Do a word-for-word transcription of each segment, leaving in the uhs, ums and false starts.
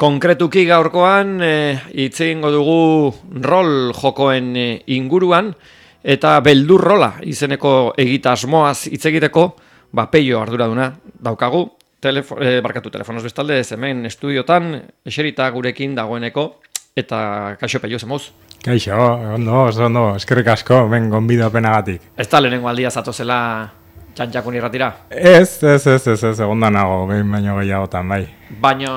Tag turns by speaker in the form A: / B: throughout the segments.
A: konkretuki gaurkoan hitz e, egingo dugu rol jokoen e, inguruan eta beldur rola izeneko egitasmoaz hitz egiteko, ba Peio arduraduna daukagu, telefo, e, barkatu telefonoz bestalde, ez hemen estudiotan eserita gurekin dagoeneko eta kaixo Peio zemoz.
B: Kaixo, ondo, oso ondo, eskerrik asko, ben gonbidapenagatik.
A: Ez da lehenengo aldia zatozela txantxakun irratira?
B: Ez, ez, ez, ez, ez, egon da nago, behin baino gehiagotan, bai.
A: Baina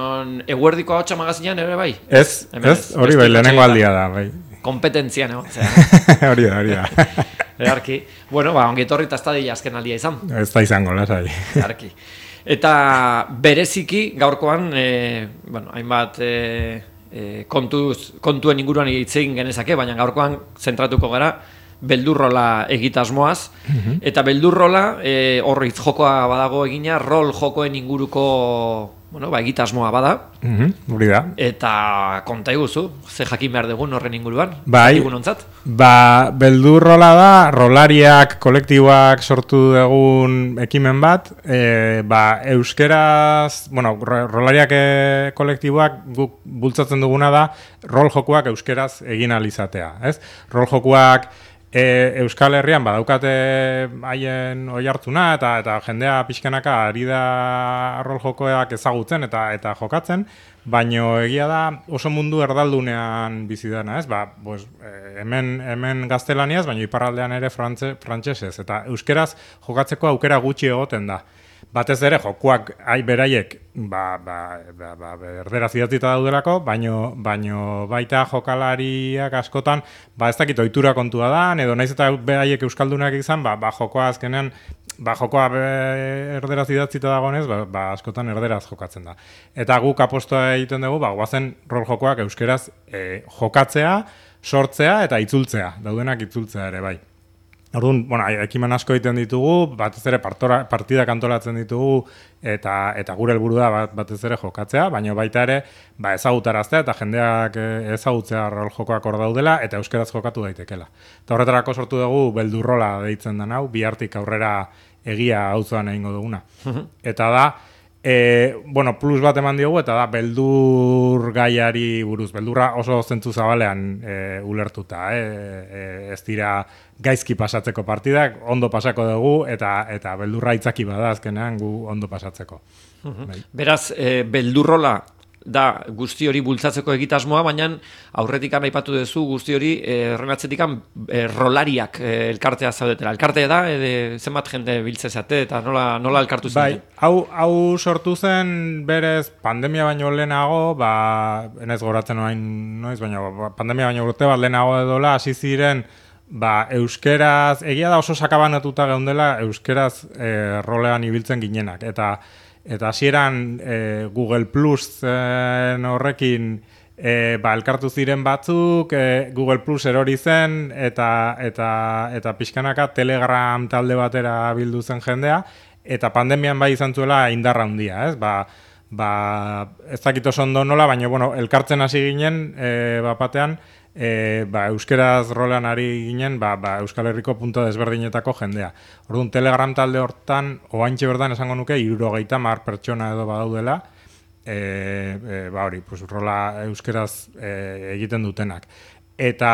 A: eguerdiko ahotsa magazinean ere bai?
B: Ez,
A: hemen
B: ez, hori bai, lehenengo aldia da, bai.
A: Kompetentzian, egon,
B: hori da, hori da.
A: Earki. Bueno, ba, ongi etorri eta ez da dila azken aldia izan.
B: Ez da izango, lasai.
A: Earki. Eta bereziki gaurkoan, e, bueno, hainbat e, e, kontuz, kontuen inguruan hitz egin genezake, baina gaurkoan zentratuko gara beldurrola egitasmoaz, mm-hmm. eta beldurrola e, horritz jokoa badago egina, rol jokoen inguruko bueno, ba, egitasmoa bada,
B: mm-hmm. hori da.
A: Eta konta iguzu, ze jakin behar dugun horren inguruan,
B: bai, ba, beldurrola da, rolariak, kolektiboak sortu dugun ekimen bat, e, ba, euskeraz, bueno, rolariak e, kolektiboak guk bultzatzen duguna da, rol jokoak euskeraz egin alizatea, ez? Rol jokoak E, Euskal Herrian badaukate haien oihartzuna eta eta jendea pixkanaka ari da rol jokoak ezagutzen eta eta jokatzen, baino egia da oso mundu erdaldunean bizi dena, ez? Ba, pues, hemen hemen gaztelaniaz, baino iparraldean ere frantse, frantsesez eta euskeraz jokatzeko aukera gutxi egoten da. Batez ere jokoak ai beraiek ba ba ba, ba erderaz idatzita daudelako, baino baino baita jokalariak askotan ba ez dakit ohitura kontua da, edo naiz eta beraiek euskaldunak izan, ba, ba jokoa azkenean ba jokoa erderaz idatzita dagoenez, ba, ba askotan erderaz jokatzen da. Eta guk apostoa egiten dugu, ba goazen rol jokoak euskeraz e, jokatzea, sortzea eta itzultzea, daudenak itzultzea ere bai. Orduan, bueno, ekimen asko egiten ditugu, batez ere partora, partidak antolatzen ditugu eta eta gure helburu da bat, batez ere jokatzea, baina baita ere ba ezagutaraztea eta jendeak ezagutzea rol jokoak hor daudela eta euskeraz jokatu daitekela. Eta horretarako sortu dugu beldurrola deitzen den hau, bihartik aurrera egia auzoan egingo duguna. Eta da E, bueno, plus bat eman diogu eta da beldur gaiari buruz, beldurra oso zentzu zabalean e, ulertuta, e, e, ez dira gaizki pasatzeko partidak, ondo pasako dugu eta eta beldurra itzaki bada azkenean gu ondo pasatzeko.
A: Uh-huh. Bai. Beraz, e, beldurrola da guzti hori bultzatzeko egitasmoa, baina aurretik aipatu duzu guzti hori errenatzetik e, rolariak e, elkartea zaudetela. Elkartea da, e, zenbat jende biltzezate eta nola, nola elkartu zen?
B: Bai, hau, hau sortu zen berez pandemia baino lehenago, ba, enez goratzen orain noiz, baina pandemia baino urte bat lehenago edola, hasi ziren ba, euskeraz, egia da oso sakabanatuta geundela euskeraz e, rolean ibiltzen ginenak, eta Eta hasieran e, Google Plus e, horrekin e, ba, elkartu ziren batzuk, e, Google Plus erori zen eta eta eta pixkanaka Telegram talde batera bildu zen jendea, eta pandemian bai izan zuela indarra handia, ez? Ba, ba, ez dakit oso ondo nola, baina bueno, elkartzen hasi ginen e, bapatean, E, ba, euskeraz rolean ari ginen ba, ba, Euskal Herriko punto desberdinetako jendea. Orduan, Telegram talde hortan, oaintxe berdan esango nuke, hirurogeita hamar pertsona edo badaudela, e, e, ba hori, pues, rola euskeraz e, egiten dutenak. Eta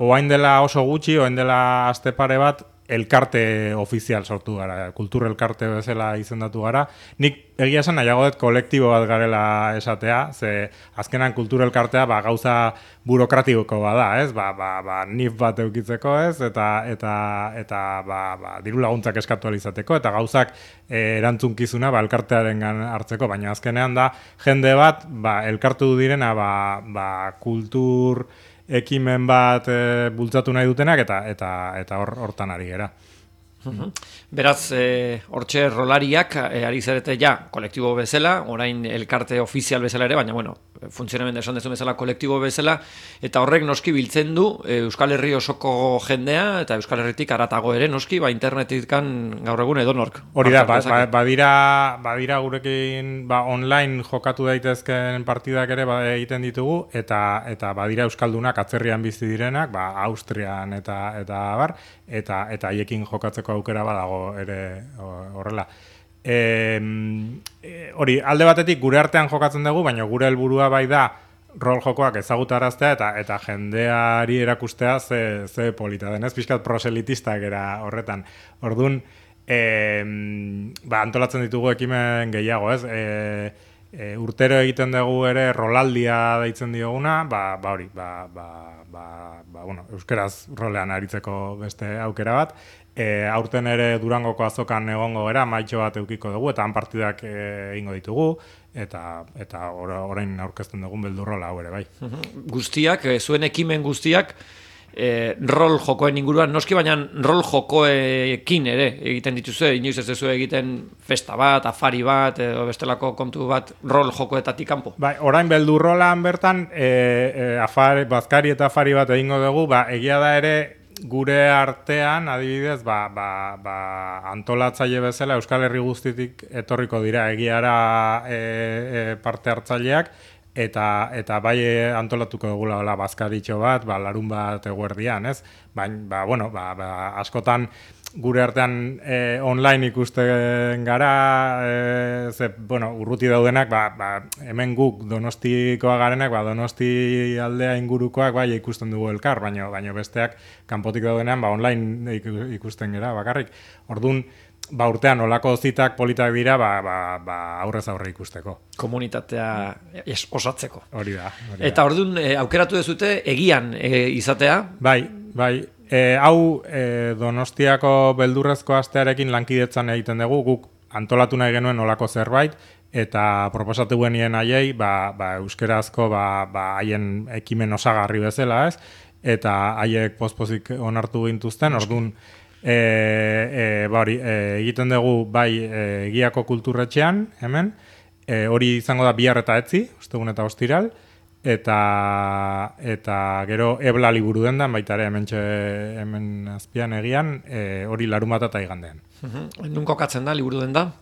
B: oain dela oso gutxi, oain dela aste pare bat, elkarte ofizial sortu gara, kultur elkarte bezala izendatu gara. Nik egia esan nahiago dut kolektibo bat garela esatea, ze azkenan kultur elkartea ba, gauza burokratiko bada, ez? Ba, ba, ba, nif bat eukitzeko, ez? Eta eta eta ba, ba, diru laguntzak eskatu ahal izateko eta gauzak e, erantzunkizuna ba, elkartearengan hartzeko, baina azkenean da jende bat ba, elkartu direna ba, ba, kultur ekimen bat e, bultzatu nahi dutenak eta eta eta hor hortan ari gera.
A: Uh-huh. Beraz, hortxe e, rolariak e, ari zarete ja kolektibo bezala, orain elkarte ofizial bezala ere, baina bueno, funtzionamendua esan dezu bezala kolektibo bezala, eta horrek noski biltzen du e, Euskal Herri osoko jendea eta Euskal Herritik haratago ere noski, ba internetikan gaur egun edonork.
B: Hori da, ba, ba, badira, badira gurekin ba, online jokatu daitezken partidak ere ba, egiten ditugu, eta eta badira euskaldunak atzerrian bizi direnak, ba Austrian eta eta bar, eta eta haiekin jokatzeko aukera badago ere horrela. E, hori, alde batetik gure artean jokatzen dugu, baina gure helburua bai da rol jokoak ezagutaraztea eta eta jendeari erakustea ze, ze polita denez, pixkat proselitistak era horretan. Orduan, e, ba, antolatzen ditugu ekimen gehiago, ez? E, e, urtero egiten dugu ere rolaldia deitzen dioguna, ba, ba hori, ba, ba, ba, ba, bueno, euskeraz rolean aritzeko beste aukera bat. E, aurten ere Durangoko azokan egongo gera, maitxo bat eukiko dugu, eta han partidak e, egingo ditugu, eta eta orain aurkezten dugun beldurrola hau ere bai.
A: Guztiak, e, zuen ekimen guztiak, e, rol jokoen inguruan, noski baina rol jokoekin ere egiten dituzue, inoiz ez duzu egiten festa bat, afari bat, edo bestelako kontu bat rol jokoetatik kanpo.
B: Bai, orain beldurrolan bertan, e, e, afari, bazkari eta afari bat egingo dugu, ba, egia da ere, gure artean, adibidez, ba, ba, ba, antolatzaile bezala Euskal Herri guztitik etorriko dira egiara e, e, parte hartzaileak, eta eta bai antolatuko dugula la bazkaritxo bat, ba, larun bat eguerdian, ez? Baina, ba, bueno, ba, ba, askotan gure artean e, online ikusten gara, e, ze, bueno, urruti daudenak, ba, ba, hemen guk Donostikoa garenak, ba, Donosti aldea ingurukoak bai ikusten dugu elkar, baina baina besteak kanpotik daudenean, ba, online ikusten gara bakarrik. Orduan, ba, urtean olako zitak politak dira, ba, ba, ba, aurrez aurre ikusteko.
A: Komunitatea es, osatzeko.
B: Hori da. Hori
A: Eta orduan, e, aukeratu dezute egian e, izatea?
B: Bai, bai. E, hau e, Donostiako beldurrezko astearekin lankidetzan egiten dugu, guk antolatu nahi genuen olako zerbait, eta proposatu genien haiei, ba, ba, euskerazko ba, ba, haien ekimen osagarri bezala, ez? Eta haiek pospozik onartu gintuzten, orduan, e, e, ba, hori, e, egiten dugu bai e, egiako kulturretxean, hemen, e, hori izango da bihar eta etzi, ostegun eta ostiral, eta eta gero ebla liburu dendan, baita ere hemen, txe, hemen azpian egian, e, hori larunbata eta igandean.
A: Uh-huh. Nun kokatzen da liburu denda?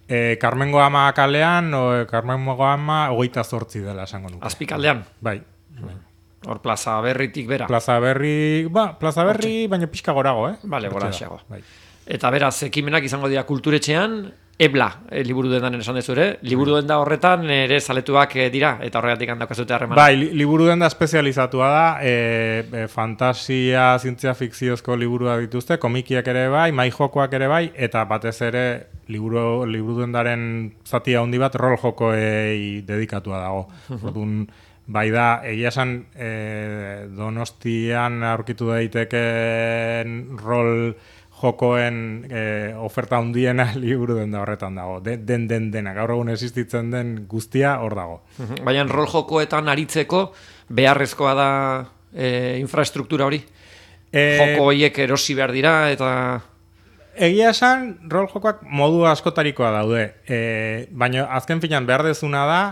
B: E, Carmengo Ama kalean, o, Carmengo Ama hogeita zortzi dela esango nuke.
A: Azpikaldean?
B: Bai. bai.
A: Hor plaza berritik bera?
B: Plaza berri, ba, plaza berri, Hortxe. Baina pixka gorago, eh?
A: Bale, goraxeago.
B: Bai.
A: Eta beraz, ekimenak izango dira kulturetxean, ebla, e, liburu dendan esan dezu ere, liburu denda horretan ere zaletuak e, dira, eta horregatik handaukazute harremana.
B: Bai, li, liburu denda espezializatua da, e, e, fantasia, zientzia fikziozko liburua dituzte, komikiak ere bai, maijokoak ere bai, eta batez ere liburu, liburu dendaren zati handi bat rol jokoei dedikatua dago. Orduan, bai da, egia esan e, Donostian aurkitu daiteken rol jokoen e, oferta handiena liburu denda horretan dago. Den, den, den, dena. Gaur egun existitzen den guztia hor dago.
A: Baina rol jokoetan aritzeko beharrezkoa da e, infrastruktura hori? E, Joko horiek erosi behar dira eta...
B: Egia esan, rol jokoak modu askotarikoa daude. E, baina azken finan behar dezuna da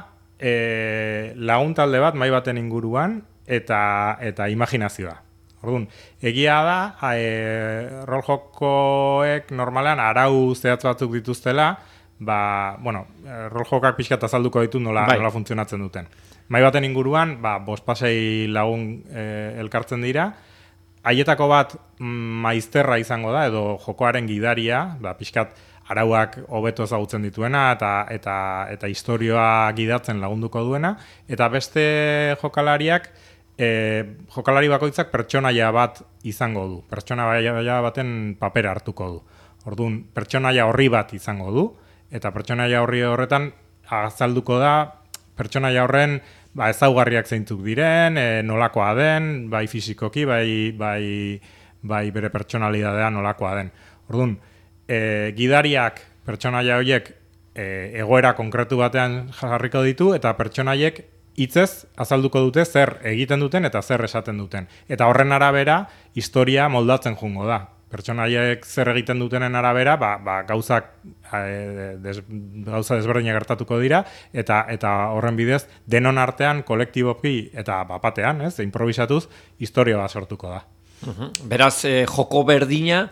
B: e, lagun talde bat, mai baten inguruan, eta, eta imaginazioa. Orduan, egia da, e, rol jokoek normalean arau zehatz batzuk dituztela, ba, bueno, rol jokak pixkat azalduko ditu nola, bai. nola funtzionatzen duten. Mai baten inguruan, ba, bospasei lagun e, elkartzen dira, haietako bat maizterra izango da, edo jokoaren gidaria, ba, pixkat arauak hobeto ezagutzen dituena, eta, eta, eta historioa gidatzen lagunduko duena, eta beste jokalariak, E, jokalari bakoitzak pertsonaia bat izango du. Pertsonaia baten papera hartuko du. Orduan, pertsonaia horri bat izango du, eta pertsonaia horri horretan azalduko da pertsonaia horren ba, ezaugarriak zeintzuk diren, e, nolakoa den, bai fisikoki, bai, bai, bai bere pertsonalidadea nolakoa den. Orduan, e, gidariak pertsonaia horiek e, egoera konkretu batean jarriko ditu, eta pertsonaiek hitzez azalduko dute zer egiten duten eta zer esaten duten. Eta horren arabera, historia moldatzen jungo da. Pertsonaiek zer egiten dutenen arabera, ba, ba, gauzak, e, des, gauza desberdinak gertatuko dira, eta eta horren bidez, denon artean, kolektiboki eta bapatean, ez, improvisatuz, historia bat sortuko da.
A: Uhum. Beraz, eh, joko berdina,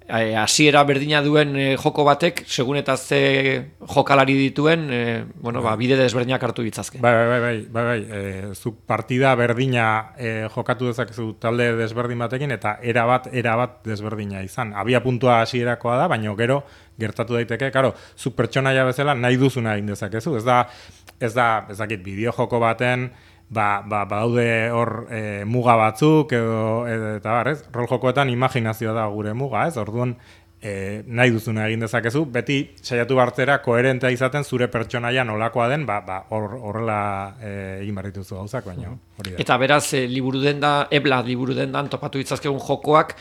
A: hasiera berdina duen e, joko batek, segun eta ze jokalari dituen, e, bueno, ba, bide desberdinak hartu ditzazke.
B: Bai, bai, bai, bai, bai. E, zuk partida berdina e, jokatu dezakezu talde desberdin batekin, eta era bat, era bat desberdina izan. Abia puntua hasierakoa da, baina gero gertatu daiteke, karo, zuk pertsonaia bezala nahi duzuna egin dezakezu. Ez da, ez da, ez dakit, bideo joko baten, ba, ba, badaude hor e, muga batzuk edo, edo eta bar, ez? Rol jokoetan imaginazioa da gure muga, ez? Orduan e, nahi duzuna egin dezakezu, beti saiatu bartzera koherentea izaten zure pertsonaia nolakoa den, ba, ba hor, horrela e, egin behar dituzu gauzak, baina hori da.
A: Eta beraz, e, liburu denda, ebla liburu dendan topatu ditzazkegun jokoak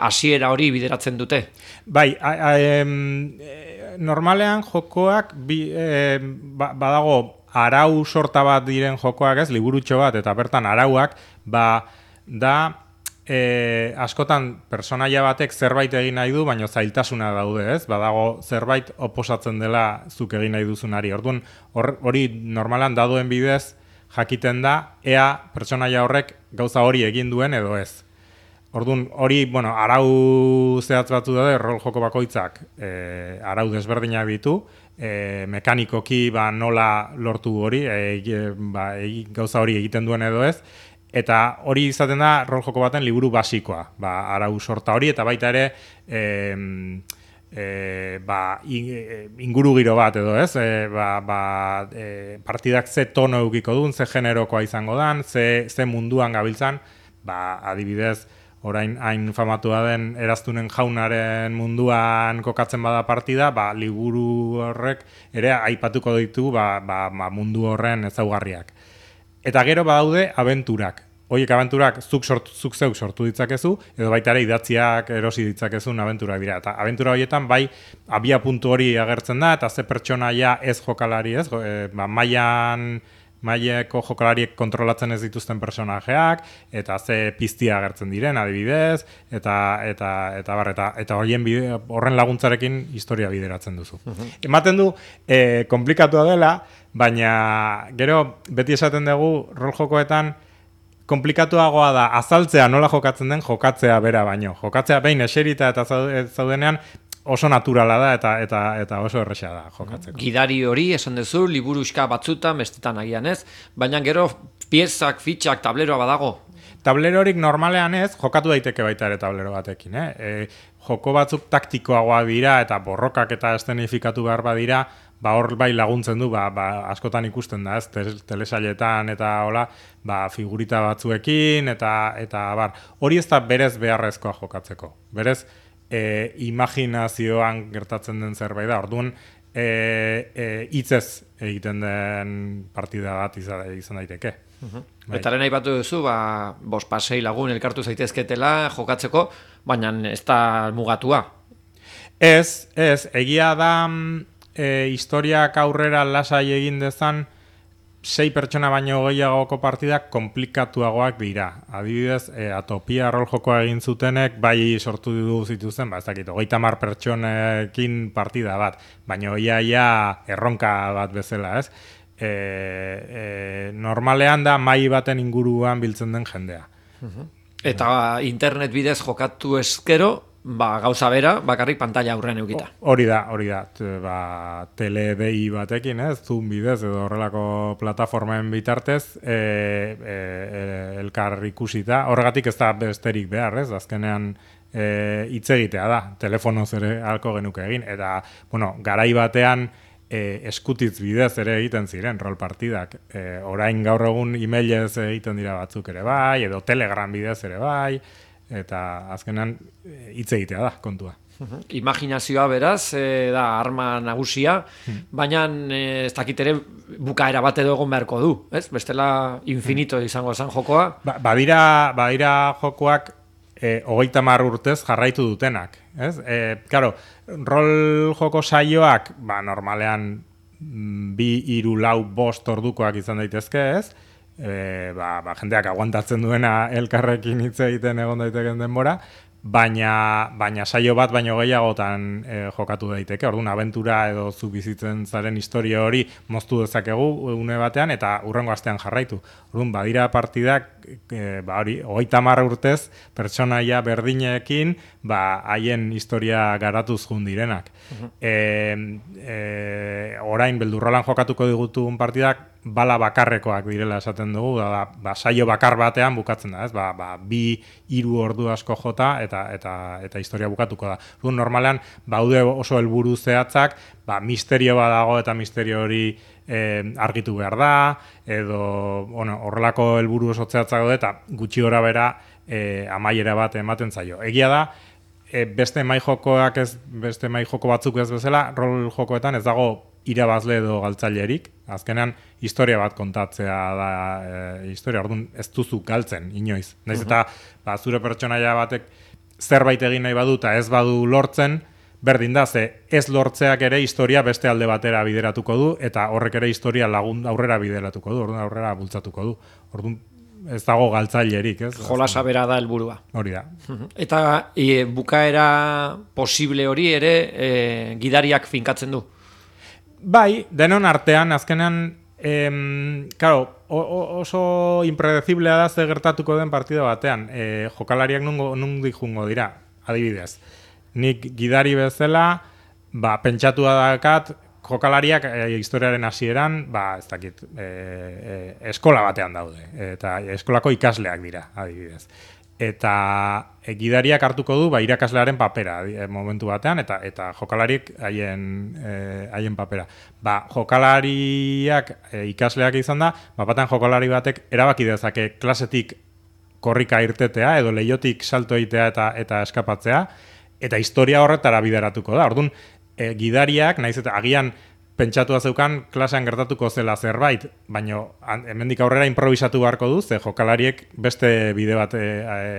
A: hasiera e, hori bideratzen dute.
B: Bai, a, a, em, e, normalean jokoak bi, e, ba, badago arau sorta bat diren jokoak, ez, liburutxo bat, eta bertan arauak, ba, da, e, askotan personaia batek zerbait egin nahi du, baina zailtasuna daude, ez, badago zerbait oposatzen dela zuk egin nahi duzunari. Orduan, hori normalan daduen bidez jakiten da, ea personaia horrek gauza hori egin duen edo ez. Orduan, hori, bueno, arau zehatz batzu daude, rol joko bakoitzak e, arau desberdinak ditu, e, mekanikoki ba, nola lortu hori, e, ba, e, gauza hori egiten duen edo ez, eta hori izaten da rol joko baten liburu basikoa, ba, arau sorta hori, eta baita ere e, e, ba, inguru giro bat edo ez, e, ba, ba, e, partidak ze tono eukiko duen, ze generokoa izango dan, ze, ze munduan gabiltzan, ba, adibidez, orain hain famatua den eraztunen jaunaren munduan kokatzen bada partida, ba, liburu horrek ere aipatuko ditu ba, ba, ba, mundu horren ezaugarriak. Eta gero badaude abenturak. Horiek abenturak zuk, sort, zuk zeuk sortu ditzakezu, edo baita ere idatziak erosi ditzakezun abenturak dira. Eta abentura horietan bai abia puntu hori agertzen da, eta ze pertsonaia ez jokalari ez, e, ba, mailan maileko jokalariek kontrolatzen ez dituzten personajeak, eta ze piztia agertzen diren adibidez, eta eta eta bar, eta, eta horien bide, horren laguntzarekin historia bideratzen duzu. Uh-huh. Ematen du e, komplikatua dela, baina gero beti esaten dugu rol jokoetan komplikatuagoa da azaltzea nola jokatzen den jokatzea bera baino. Jokatzea behin eserita eta zaudenean oso naturala da eta eta eta oso erresa da jokatzeko.
A: Gidari hori esan duzu, liburuxka batzutan, bestetan agian ez, baina gero piezak, fitxak, tableroa badago.
B: Tablerorik normalean ez, jokatu daiteke baita ere tablero batekin. Eh? E, joko batzuk taktikoagoa dira eta borrokak eta eszenifikatu behar badira, ba hor bai laguntzen du, ba, ba askotan ikusten da, ez, telesailetan eta hola, ba figurita batzuekin eta eta bar. Hori ez da berez beharrezkoa jokatzeko. Berez E, imaginazioan gertatzen den zerbait da. Orduan, e, e, hitzez egiten den partida bat izan, izan daiteke.
A: Uh-huh. Bai. Eta lehen aipatu duzu, ba, bost pasei lagun elkartu zaitezketela jokatzeko, baina ez da mugatua.
B: Ez, ez, egia da e, historiak aurrera lasai egin dezan, sei pertsona baino gehiagoko partidak komplikatuagoak dira. Adibidez, e, Atopia rol jokoa egin zutenek, bai sortu du zituzten, ba, ez dakit, hogeita hamar pertsonekin partida bat, baina ia, ia erronka bat bezala, ez? E, e, normalean da mai baten inguruan biltzen den jendea.
A: Uh-huh. Eta internet bidez jokatu eskero, ba, gauza bera, bakarrik pantalla aurrean eukita.
B: Hori da, hori da, ba, teledei batekin, ez, Zoom bidez edo horrelako plataformen bitartez, e, e, e, elkar ikusita, horregatik ez da besterik behar, ez, azkenean hitz e, egitea da, telefonoz ere halko genuke egin, eta, bueno, garai batean e, eskutitz bidez ere egiten ziren, rol partidak, e, orain gaur egun emailez egiten dira batzuk ere bai, edo Telegram bidez ere bai, eta azkenan hitz egitea da kontua.
A: Uh-huh. Imaginazioa beraz, e, da arma nagusia, hmm. baina e, ez dakit ere bukaera bat edo egon beharko du, ez? Bestela infinito izango zen jokoa.
B: Ba, badira, badira jokoak e, hogeita hamar urtez jarraitu dutenak, ez? E, claro, rol joko saioak, ba, normalean bi, hiru, lau, bost ordukoak izan daitezke, ez? E, ba, ba, jendeak aguantatzen duena elkarrekin hitz egiten egon daiteken denbora, baina, baina saio bat baino gehiagotan e, jokatu daiteke. Orduan, abentura edo zu bizitzen zaren historia hori moztu dezakegu une batean eta hurrengo astean jarraitu. Orduan, badira partidak, e, ba hori, hogeita hamar urtez, pertsonaia berdinekin, ba, haien historia garatuz jun direnak. Uh-huh. e, e, orain, beldurrolan jokatuko digutugun partidak, bala bakarrekoak direla esaten dugu, da, ba, saio bakar batean bukatzen da, ez? Ba, ba, bi, hiru ordu asko jota eta eta eta historia bukatuko da. Orduan normalean baude oso helburu zehatzak, ba, misterio bat dago eta misterio hori eh, argitu behar da, edo bueno, horrelako helburu oso zehatzak daude eta gutxi gora bera eh, amaiera bat ematen zaio. Egia da, e, beste mai jokoak ez, beste mai joko batzuk ez bezala, rol jokoetan ez dago irabazle edo galtzailerik, azkenean historia bat kontatzea da e, historia, orduan ez duzu galtzen inoiz. Naiz eta ba, zure pertsonaia batek zerbait egin nahi badu eta ez badu lortzen, berdin da, ze ez lortzeak ere historia beste alde batera bideratuko du, eta horrek ere historia lagun aurrera bideratuko du, orduan aurrera bultzatuko du. Orduan ez dago galtzailerik, ez?
A: Jolasa bera da helburua.
B: Hori da.
A: Eta e, bukaera posible hori ere e, gidariak finkatzen du.
B: Bai, denon artean, azkenean, em, claro, oso impredeciblea da ze gertatuko den partida batean. E, jokalariak nundik jungo dira, adibidez. Nik gidari bezala, ba, pentsatua dakat, jokalariak e, historiaren hasieran, ba, ez dakit, e, e, eskola batean daude, eta eskolako ikasleak dira, adibidez. Eta e, gidariak hartuko du ba, irakaslearen papera e, momentu batean, eta eta jokalariek haien e, haien papera. Ba, jokalariak e, ikasleak izan da, ba, batean jokalari batek erabaki dezake klasetik korrika irtetea, edo leiotik salto egitea eta, eta eskapatzea, eta historia horretara bideratuko da. Orduan, e, gidariak, naiz eta agian pentsatua zeukan klasean gertatuko zela zerbait, baina hemendik aurrera improvisatu beharko du, ze jokalariek beste bide bat e,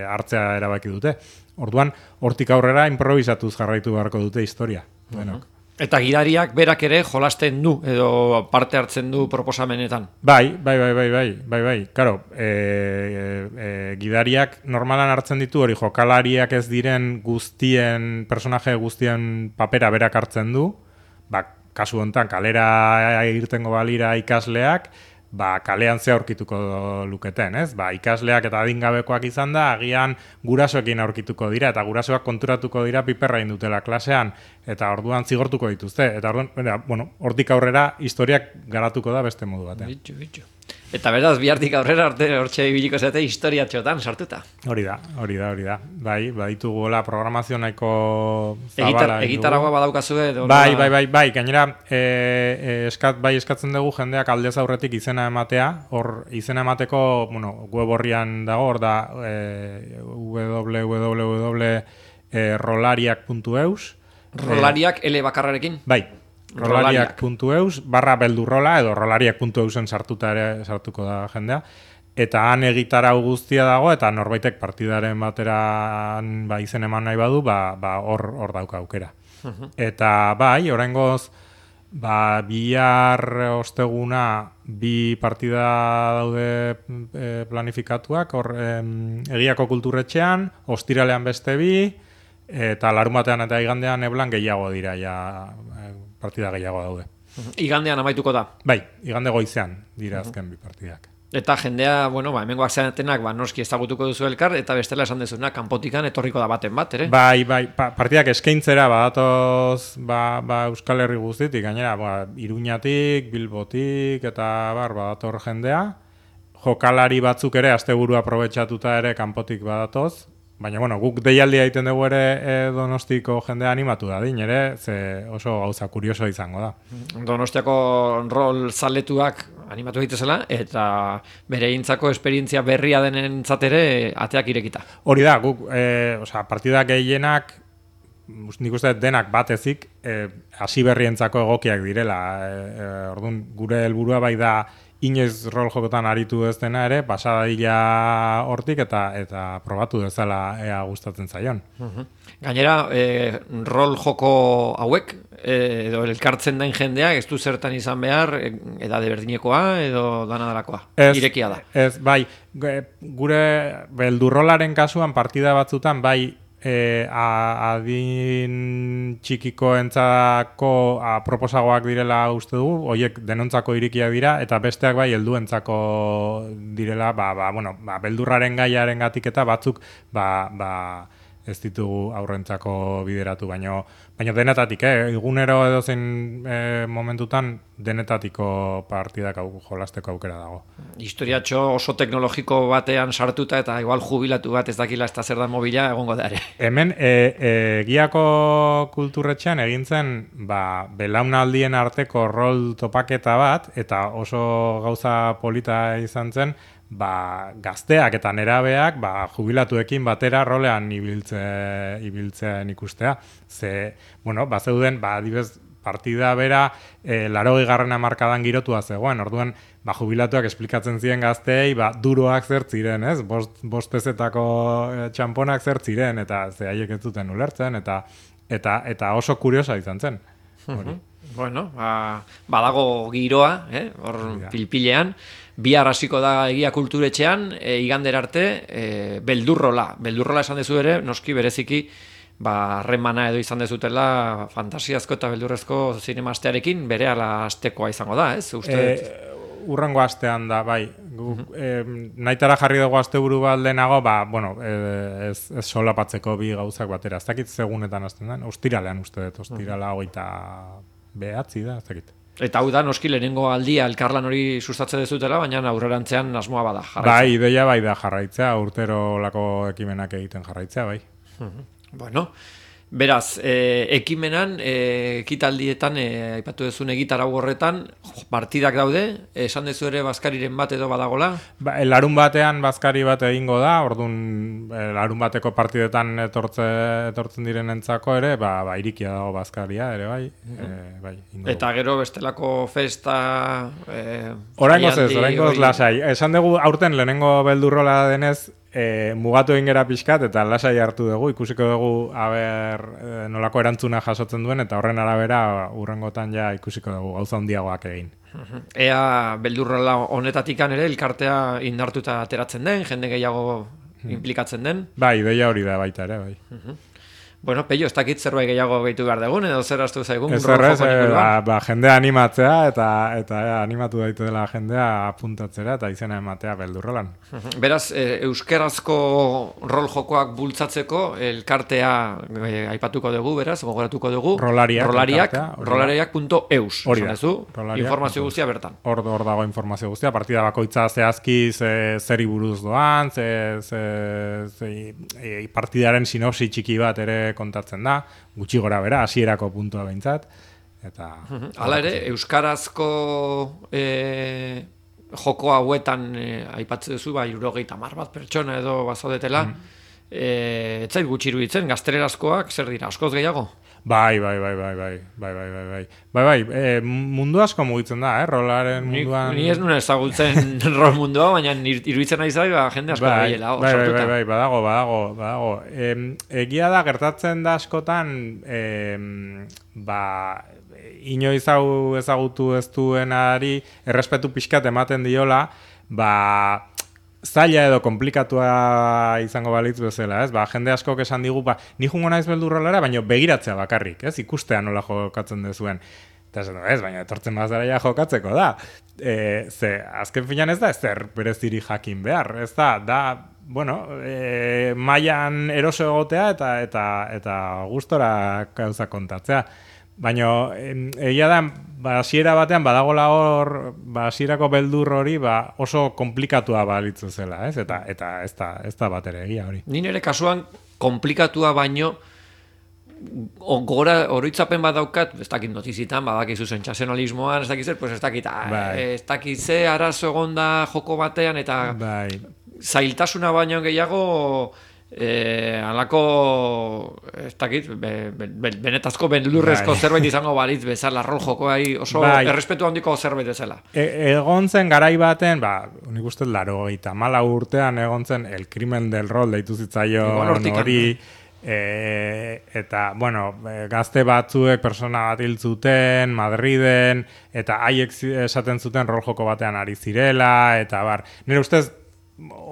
B: hartzea erabaki dute. Orduan, hortik aurrera improvisatuz jarraitu beharko dute historia. Uh-huh. Denok.
A: Eta gidariak berak ere jolasten du, edo parte hartzen du proposamenetan.
B: Bai, bai, bai, bai, bai, bai, bai. Karo, e, e, gidariak normalan hartzen ditu hori jokalariak ez diren guztien, personaje guztien papera berak hartzen du, ba, kasu honetan, kalera irtengo balira ikasleak, ba, kalean ze aurkituko luketen, ez? Ba, ikasleak eta adingabekoak izan da, agian gurasoekin aurkituko dira, eta gurasoak konturatuko dira piperra indutela klasean, eta orduan zigortuko dituzte. Eta orduan, bueno, hortik aurrera historiak garatuko da beste modu batean.
A: Bitxu, bitxu. Eta beraz, bihartik aurrera hortxe ibiliko zate historia txotan sartuta.
B: Hori da, hori da, hori da. Bai, baditugu gola programazio nahiko zabala.
A: Egitaragua badaukazue?
B: Bai, bai, bai, bai, gainera, e, e, eskat, bai eskatzen dugu jendeak aldez aurretik izena ematea, hor izena emateko, bueno, web horrian dago, hor da e, w w w puntu rolariak puntu eus.
A: Rolariak L bakarrarekin?
B: Bai. rolariak puntu eus, barra beldurrola, edo rolariak puntu eusen sartuta ere sartuko da jendea. Eta han egitarau guztia dago, eta norbaitek partidaren bateran ba, izen eman nahi badu, ba, ba, hor, hor dauka aukera. Uh-huh. Eta bai, oraingoz, ba, bihar osteguna bi partida daude e, planifikatuak, hor em, Egiako Kulturretxean, ostiralean beste bi, eta larunbatean eta igandean eblan gehiago dira, ja, partida gehiago daude.
A: Igandean amaituko da?
B: Bai, igande goizean dira azken bi partidak.
A: Eta jendea, bueno, ba, hemengoak zeatenak, ba, noski ezagutuko duzu elkar, eta bestela esan dezuna, kanpotikan etorriko da baten bat, ere?
B: Bai, bai, pa, partidak eskaintzera badatoz ba, ba, Euskal Herri guztitik, gainera, ba, Iruñatik, Bilbotik, eta bar, badator jendea. Jokalari batzuk ere, asteburu aprobetxatuta ere kanpotik badatoz. Baina, bueno, guk deialdia egiten dugu ere e, Donostiko jendea animatu da, din ere, ze oso gauza kurioso izango da.
A: Donostiako rol zaletuak animatu egitezela, eta bere egintzako esperientzia berria denentzat ere ateak irekita.
B: Hori da, guk, e, oza, partida gehienak, nik uste denak batezik, e, hasi berrientzako egokiak direla. E, e, orduan, gure helburua bai da, inoiz rol jokotan aritu ez dena ere, pasadila hortik eta eta probatu dezala ea gustatzen zaion.
A: Uh-huh. Gainera, e, rol joko hauek, e, edo elkartzen den jendea, ez du zertan izan behar, edade berdinekoa edo danadarakoa, irekia da.
B: Ez, bai, gure beldurrolaren kasuan partida batzutan, bai, e, a, adin txikikoentzako proposagoak direla uste dugu, horiek denontzako irikiak dira, eta besteak bai helduentzako direla, ba, ba, bueno, ba, beldurraren gaiaren gatik eta batzuk ba, ba, ez ditugu aurrentzako bideratu, baino, baino denetatik, eh? Egunero edo zein eh, momentutan denetatiko partidak au, jolasteko aukera dago.
A: Historiatxo oso teknologiko batean sartuta eta igual jubilatu bat ez dakila ez da zer da mobila egongo da ere.
B: Hemen e, e, Giako kulturretxean egin zen ba, belaunaldien arteko rol topaketa bat, eta oso gauza polita izan zen, ba, gazteak eta nerabeak ba, jubilatuekin batera rolean ibiltze, ibiltzen ikustea. Ze, bueno, ba, zeuden, ba, adibez, partida bera e, larogei garren hamarkadan girotua zegoen. Orduan, ba, jubilatuak esplikatzen ziren gazteei, ba, duroak zer ziren, ez? Bost, bost pezetako e, txamponak zer ziren, eta ze haiek ez zuten ulertzen, eta, eta, eta oso kuriosa izan zen. Hori.
A: Bueno, ba, badago giroa, eh? Hor pilpilean, bihar hasiko da Egia Kulturetxean, e, igander arte, e, beldurrola. Beldurrola esan dezu ere, noski bereziki, ba, harremana edo izan dezutela fantasiazko eta beldurrezko zinemastearekin berehala astekoa izango da, ez? Uste
B: e, urrengo astean da, bai. Gu, e, nahitara jarri dugu asteburu bat lehenago, ba, bueno, e, ez, ez solapatzeko bi gauzak batera. Ez dakit segunetan hasten den, ostiralean uste dut, ostirala hogeita behatzi da, ez dakit.
A: Eta hau da, noski lehenengo aldia elkarlan hori sustatze dezutela, baina aurrerantzean asmoa bada jarraitzea.
B: Bai, ideia bai da jarraitzea, urtero lako ekimenak egiten jarraitzea, bai.
A: Bueno, beraz, e, ekimenan, e, ekitaldietan, e, aipatu duzun egitarau horretan, partidak daude, esan dezu ere bazkariren bat edo badagola? Ba,
B: larun batean bazkari bat egingo da, orduan larun bateko partidetan etortze, etortzen direnentzako ere, ba, ba irikia dago bazkaria ere, bai. Mm-hmm. e, bai
A: Eta gero bestelako festa... E,
B: oraingoz ez, oraingoz lasai. Esan dugu aurten lehenengo beldurrola denez, E, mugatu egin gera pixkat eta lasai hartu dugu, ikusiko dugu aber, e, nolako erantzuna jasotzen duen, eta horren arabera urrengotan ja ikusiko dugu gauza handiagoak egin.
A: Ea beldurrola honetatikan ere elkartea indartuta ateratzen den, jende gehiago implikatzen den?
B: Bai, ideia hori da baita ere, bai.
A: Uh-huh. Bueno, Pello, ez dakit zerbait gehiago gehitu behar dugun, edo zer astu zaigun?
B: Ez horrez, e, ba, ba, jendea animatzea, eta, eta e, animatu daitu dela jendea apuntatzera, eta izena ematea beldurrolan.
A: Beraz, e, euskerazko rol jokoak bultzatzeko, elkartea e, aipatuko dugu, beraz, gogoratuko dugu.
B: Rolariak.
A: Rolariak, rolariak punto eus.
B: Hori da.
A: Informazio guztia bertan.
B: Hor, hor dago informazio guztia, partida bakoitza zehazki ze, zeri buruz doan, ze, ze, ze, e, partidaren sinopsi txiki bat ere kontatzen da, gutxi gora bera, hasierako puntua behintzat. Eta
A: hala ere, euskarazko e, joko hauetan e, aipatzen duzu, ba, hirurogeita hamar bat pertsona edo bazaudetela, mm. e, ez zait gutxi iruditzen, gaztelerazkoak zer dira, askoz gehiago?
B: Bai, bai, bai, bai, bai, bai, bai, bai, bai, bai, bai, e, mundu asko mugitzen da, eh, rolaren munduan...
A: Ni, ni ez nuen ezagutzen rol mundua, baina iruditzen nahi zai, ba, jende asko
B: bai,
A: behiela,
B: bai, bai, bai, bai, badago, badago, badago. E, egia da, gertatzen da askotan, e, ba, inoiz hau ezagutu ez duenari, errespetu pixkat ematen diola, ba... zaila edo komplikatua izango balitz bezala, ez? Ba, jende askok esan digu, ba, ni jungo naiz beldurrolara, baina begiratzea bakarrik, ez? Ikustea nola jokatzen dezuen. Eta esan, ez, baina etortzen bazara ja jokatzeko da. E, ze, azken finan ez da, ez zer bereziri jakin behar, ez da, da, bueno, e, mailan eroso egotea eta, eta, eta gustora gauza kontatzea. Baina, egia da, ba, hasiera batean badagola hor, ba, hasierako beldur hori ba, oso komplikatua balitzu zela, ez? Eta, eta ez da, ez da bat ere egia hori.
A: Ni nire kasuan komplikatua baino, gora oroitzapen bat daukat, ez dakit notizitan, badakizu sentsazionalismoan, ez dakit zer, pues ez dakit, bai. Ez dakit ze arazo egonda joko batean, eta
B: bai.
A: Zailtasuna baino gehiago... E, alako ez dakit be, be, be, benetazko beldurrezko bai. Zerbait izango balitz bezala rol jokoai oso bai. Errespetu handiko zerbait bezala
B: e, egon zen garai baten ba, unik uste laro eta mala urtean egon zen el crimen del rol deitu zitzaion hori e, eta bueno gazte batzuek persona bat hil zuten Madriden eta haiek esaten zuten rol joko batean ari zirela eta bar, nire ustez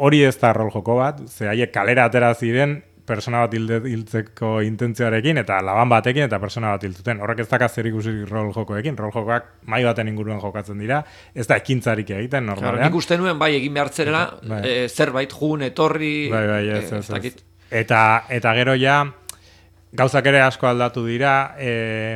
B: hori ez da rol joko bat, ze haiek kalera atera ziren persona bat hilde, hiltzeko intentzioarekin, eta laban batekin, eta persona bat hiltzuten. Horrek ez dakaz zer ikusi rol jokoekin. Rol jokoak mai baten inguruan jokatzen dira, ez da ekintzarik egiten, normalean.
A: Claro, nik uste nuen, bai, egin behar zerela,
B: bai.
A: e, zerbait jun, etorri...
B: Bai, bai, ez,
A: e,
B: ez, ez. Eta, eta gero ja, gauzak ere asko aldatu dira, e,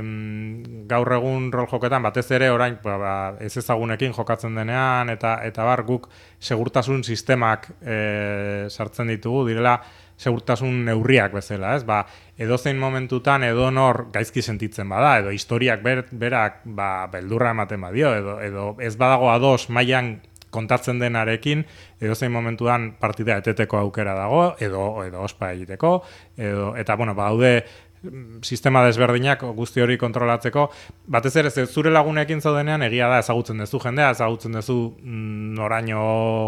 B: gaur egun rol joketan, batez ere orain ba, ba, ez ezagunekin jokatzen denean, eta eta bar guk segurtasun sistemak e, sartzen ditugu, direla segurtasun neurriak bezala, ez? Ba, edozein momentutan edonor gaizki sentitzen bada, edo historiak ber, berak ba, beldurra ematen badio, edo, edo ez badago ados mailan kontatzen denarekin, edozein momentuan partida eteteko aukera dago, edo edo ospa egiteko, edo eta bueno, badaude sistema desberdinak guzti hori kontrolatzeko, batez ere zure lagunekin zaudenean egia da ezagutzen duzu jendea, ezagutzen duzu noraino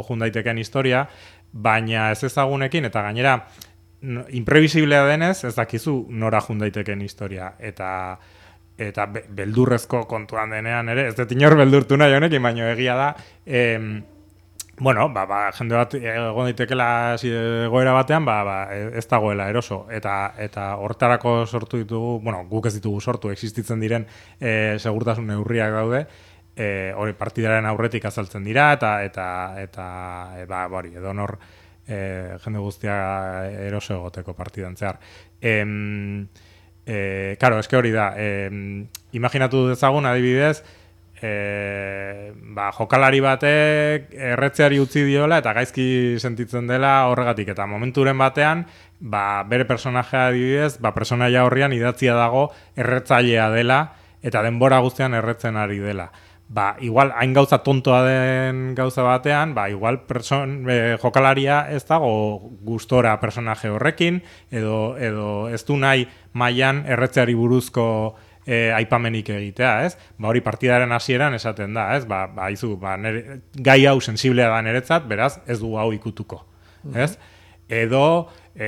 B: jun daitekeen historia, baina ez ezagunekin eta gainera imprevisiblea denez ez dakizu nora jun daitekeen historia, eta eta be, beldurrezko kontuan denean ere, ez dut inor beldurtu nahi honekin, baina egia da, em, bueno, ba, ba, jende bat egon daitekela egoera batean, ba, ba, ez dagoela eroso, eta eta hortarako sortu ditugu, bueno, guk ez ditugu sortu, existitzen diren e, segurtasun neurriak daude, e, hori partidaren aurretik azaltzen dira, eta eta eta e, ba, hori, edo nor e, jende guztia eroso egoteko partidan zehar. Em, Eh, claro, eske hori da, eh, imaginatu dezagun adibidez, eh, ba, jokalari batek erretzeari utzi diola eta gaizki sentitzen dela horregatik, eta momenturen batean, ba, bere personajea adibidez, ba, personaia horrian idatzia dago erretzailea dela eta denbora guztian erretzen ari dela. Ba, igual, hain gauza tontoa den gauza batean, ba, igual person, e, jokalaria ez dago gustora personaje horrekin, edo, edo ez du nahi mailan erretzeari buruzko e, aipamenik egitea, ez? Ba, hori partidaren hasieran esaten da, ez? Ba, ba, izu, ba, nere, gai hau sensiblea da niretzat, beraz, ez du hau ikutuko, ez? Edo, e,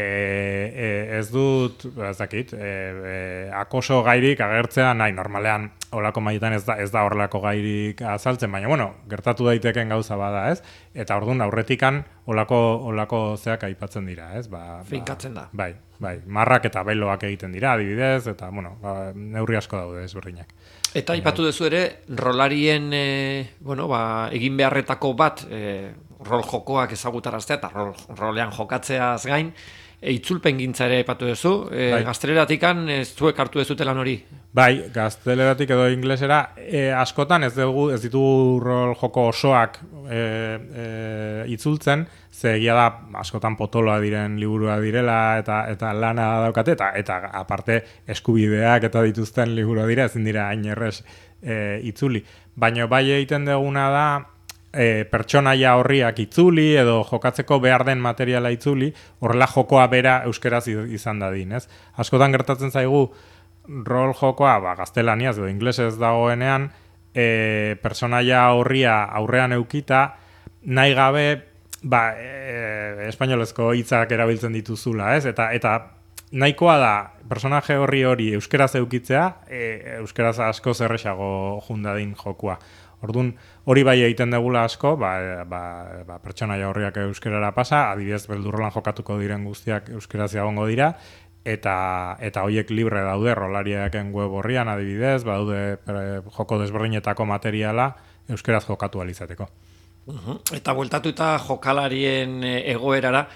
B: e, ez dut, ez dakit, e, e, akoso gairik agertzea nahi, normalean, olako maietan ez da, ez da horrelako gairik azaltzen, baina, bueno, gertatu daiteken gauza bada, ez? Eta orduan aurretikan olako, olako zeak aipatzen dira, ez? Ba,
A: finkatzen da.
B: Bai, bai, marrak eta beloak egiten dira, adibidez, eta, bueno, ba, neurri asko daude ezberdinak.
A: Eta aipatu duzu ere, rolarien, e, bueno, ba, egin beharretako bat, e, rol jokoak ezagutaraztea, eta rol, rolean jokatzeaz gain, e, itzulpen gintza ere aipatu duzu, e, bai. Gazteleratikan ez zuek hartu dezute lan hori?
B: Bai, gazteleratik edo inglesera, e, askotan ez dugu, ez ditugu rol joko osoak e, e, itzultzen, ze egia da askotan potoloa diren liburua direla eta eta lana daukate, eta eta aparte eskubideak eta dituzten liburua dira, ezin dira hain errez e, itzuli. Baina bai egiten duguna da, E, pertsonaia horriak itzuli edo jokatzeko behar den materiala itzuli, horrela jokoa bera euskeraz izan dadin, ez? Askotan gertatzen zaigu rol jokoa, ba, gaztelaniaz edo inglesez dagoenean, e, pertsonaia horria aurrean eukita, nahi gabe, ba, e, espainolezko hitzak erabiltzen dituzula, ez? Eta, eta nahikoa da, personaje horri hori euskeraz eukitzea, e, euskeraz asko zerrexago jundadin jokoa. Orduan, hori bai egiten degula asko, ba, ba, ba, pertsonaia horriak euskerara pasa, adibidez beldurrolan jokatuko diren guztiak euskeraz egongo dira, eta eta hoiek libre daude rolariaken web horrian adibidez, badaude e, joko desberdinetako materiala euskeraz jokatu ahal izateko.
A: Uh-huh. Eta bueltatuta jokalarien egoerara,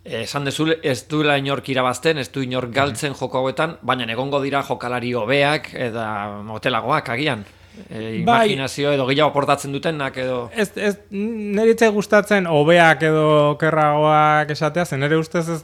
A: esan dezu ez duela inork irabazten, ez du inork galtzen joko hauetan, baina egongo dira jokalari hobeak eta motelagoak agian. E, imaginazio edo gehiago aportatzen dutenak edo...
B: Ez, ez, niritze gustatzen hobeak edo kerragoak esatea, zen nire ustez ez,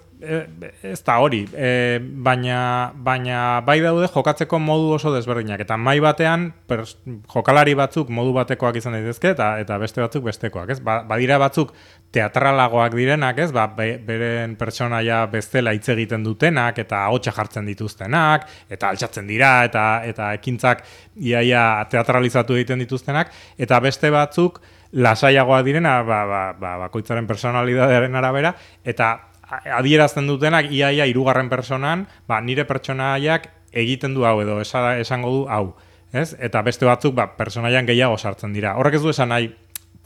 B: ez da hori, e, baina, baina bai daude jokatzeko modu oso desberdinak, eta mai batean pers, jokalari batzuk modu batekoak izan daitezke, eta eta beste batzuk bestekoak, ez? Ba, badira batzuk teatralagoak direnak, ez? Ba, be, beren pertsonaia bestela hitz egiten dutenak, eta ahotsa jartzen dituztenak, eta altxatzen dira, eta eta ekintzak iaia teatralizatu egiten dituztenak, eta beste batzuk lasaiagoak direna, ba, ba, ba, bakoitzaren personalidadearen arabera, eta adierazten dutenak iaia hirugarren personan, ba, nire pertsonaiak egiten du hau edo esa, esango du hau, ez? Eta beste batzuk ba, personaian gehiago sartzen dira. Horrek ez du esan nahi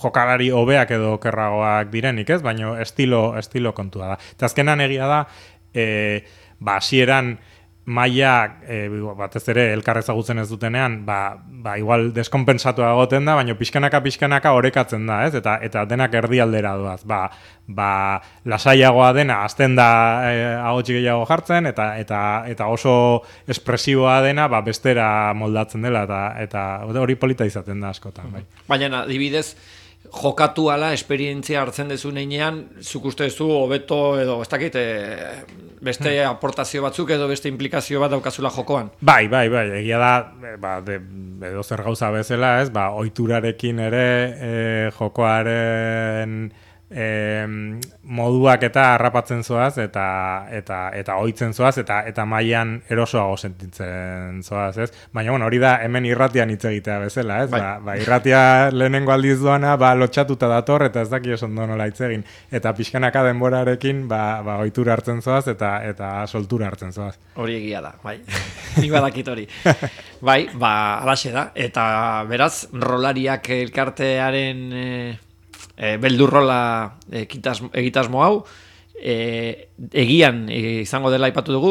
B: jokalari hobeak edo okerragoak direnik, ez? Baina estilo, estilo kontua da. Eta azkenan egia da, e, ba, hasieran maila e, batez ere elkar ezagutzen ez dutenean, ba, ba igual deskonpensatua egoten da, baina pixkanaka pixkanaka orekatzen da, ez? Eta eta denak erdialdera doaz. Ba, ba lasaiagoa dena azten da e, ahotsi gehiago jartzen eta eta eta oso espresiboa dena ba bestera moldatzen dela eta eta hori polita izaten da askotan, bai.
A: Baina adibidez jokatu ala esperientzia hartzen dezu neinean, zuk uste duzu hobeto edo ez dakit, e, beste hmm. aportazio batzuk edo beste implikazio bat daukazula jokoan.
B: Bai, bai, bai, egia da, ba, de, edo zer gauza bezala, ez, ba, ohiturarekin ere e, jokoaren e, moduak eta harrapatzen zoaz eta eta eta ohitzen zoaz eta eta mailan erosoago sentitzen zoaz, ez? Baina bueno, hori da hemen irratian hitz egitea bezala, ez? Bai. Ba, ba irratia lehenengo aldiz doana, ba lotxatuta dator eta ez daki oso ondo nola hitz egin eta pixkanaka denborarekin ba ba ohitura hartzen zoaz eta eta soltura hartzen zoaz.
A: Hori egia da, bai. Ni badakit hori. Bai, ba halaxe da eta beraz rolariak elkartearen e... E, beldurrola egitasmo hau e, egian e, izango dela aipatu dugu,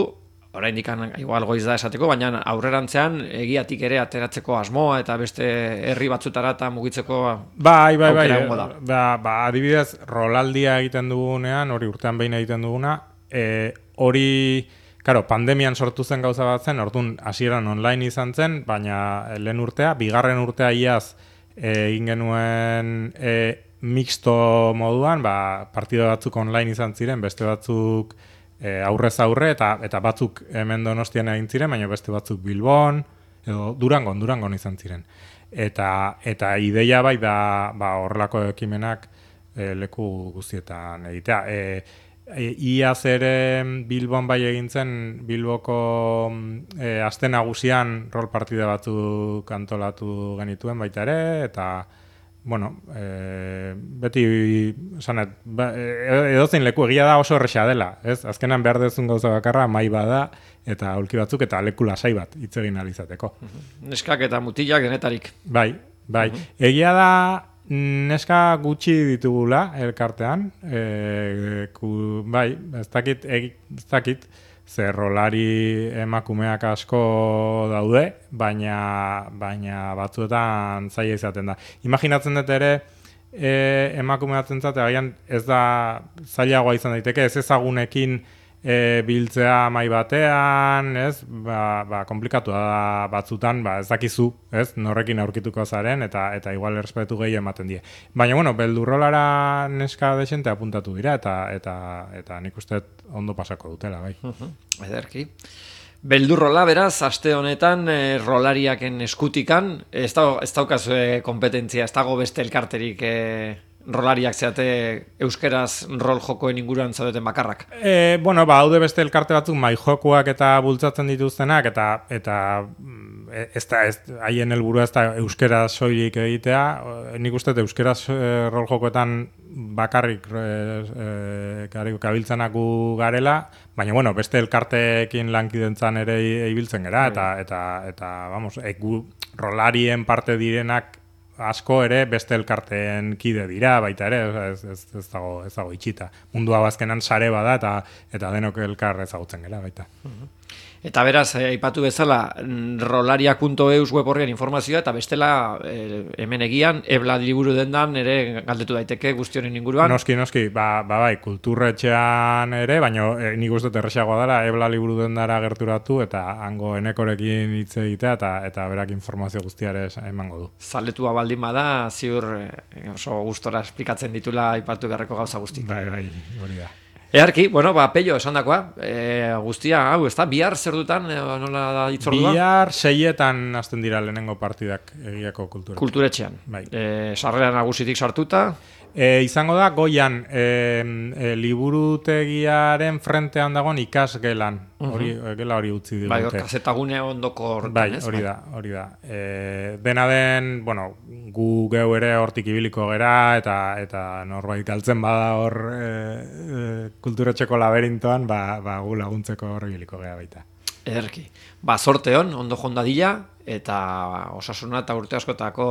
A: oraindik igual goiz da esateko, baina aurrerantzean egiatik ere ateratzeko asmoa eta beste herri batzutara eta mugitzeko
B: bai, bai, bai,
A: da.
B: Ba, ba, adibidez, rolaldia egiten dugunean, hori urtean behin egiten duguna, e, hori, karo, pandemian sortu zen gauza bat zen, orduan hasieran online izan zen, baina lehen urtea, bigarren urtea iaz e, egin genuen e, mixto moduan, ba, partida batzuk online izan ziren, beste batzuk e, aurrez aurre, eta eta batzuk hemen Donostian egin ziren, baina beste batzuk Bilbon, edo Durangon, Durangon izan ziren. Eta eta ideia bai da ba, horrelako ekimenak e, leku guztietan egitea. E, e, iaz ere Bilbon bai egin zen, Bilboko e, aste nagusian rol partida batzuk antolatu genituen baita ere, eta bueno, e, beti sanet, ba, edozein leku egia da oso erresa dela, ez? Azkenan behar dezun gauza bakarra mai bada eta aulki batzuk eta leku lasai bat hitz egin ahal izateko.
A: Neskak eta mutilak denetarik.
B: Bai, bai. Uh-huh. Egia da neska gutxi ditugula elkartean, e, ku, bai, ez dakit, ez dakit, zer rolari emakumeak asko daude, baina baina batzuetan zaila izaten da. Imaginatzen dut ere e, emakumeatzen zate, agian ez da zailagoa izan daiteke, ez ezagunekin e, biltzea mai batean, ez? Ba, ba komplikatu da batzutan, ba ez dakizu, ez? Norrekin aurkituko zaren eta eta igual errespetu gehi ematen die. Baina bueno, beldurrolara neska desente apuntatu dira eta eta eta nik uste ondo pasako dutela, bai.
A: Uh-huh. Ederki. Beldurrola, beraz, aste honetan e, rolariaken eskutikan, ez, da, ez daukaz e, kompetentzia, ez dago beste elkarterik e, rolariak zeate euskeraz rol jokoen inguruan zaudeten bakarrak?
B: E, bueno, ba, haude beste elkarte batzuk mai jokoak eta bultzatzen dituztenak, eta eta ez da, ez, haien helburua ez da euskeraz soilik egitea, nik uste euskeraz e, rol jokoetan bakarrik e, e, kabiltzenak garela, baina bueno, beste elkarteekin lankidentzan ere ibiltzen gera, eta, eta, eta vamos, e, gu, rolarien parte direnak asko ere beste elkarteen kide dira, baita ere, ez, ez, ez, dago, ez dago itxita. Mundua bazkenan sare bada eta eta denok elkar ezagutzen gela, baita.
A: Eta beraz, aipatu bezala, rolariak puntu eus web horrean informazioa, eta bestela e, hemen egian, ebla liburu dendan ere galdetu daiteke guztionen inguruan.
B: Noski, noski, ba, ba bai, kulturretxean ere, baina e, nik uste erresagoa dela, ebla liburu dendara gerturatu, eta hango enekorekin hitz egitea, eta, eta berak informazio guztiare emango du.
A: Zaletua baldin bada, ziur e, oso gustora esplikatzen ditula aipatu beharreko gauza guzti.
B: Bai, bai, hori da.
A: Earki, bueno, ba, Pello, esan dakoa, e, guztia, hau, ez da, bihar zer dutan, e, nola da itzordua?
B: Bihar seietan hasten dira lehenengo partidak egiako kulturetxean.
A: Kulturetxean.
B: Bai.
A: E, sarrera nagusitik sartuta.
B: E, izango da, goian, e, e, liburutegiaren frentean dagoen ikasgelan. Hori, uh-huh. Gela hori utzi digute.
A: Bai, hor, kazetagune ondoko hortan,
B: bai,
A: ez?
B: Hori da, hori da. E, dena den, bueno, gu geu ere hortik ibiliko gera, eta eta norbait galtzen bada hor e, e, kulturetxeko laberintoan, ba, ba gu laguntzeko hor ibiliko gera baita.
A: Ederki. Ba, sorte hon, ondo jondadila, eta osasuna eta urte askotako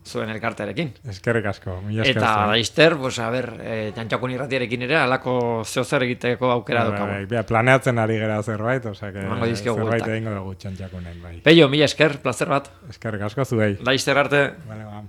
A: zuen elkartearekin.
B: Eskerrik asko, mila esker.
A: Eta laizter, pues, a ber, e, jantxakun irratiarekin ere, alako zehozer egiteko aukera
B: Bai,
A: dukagu.
B: bai, bai, planeatzen ari gera zerbait, osea que
A: Emango dizkiogu
B: zerbait
A: bueltak.
B: egingo dugu txantxakunen, bai.
A: Peio, mila esker, plazer bat.
B: Eskerrik asko zuei.
A: Laizter arte.
B: Vale, ba.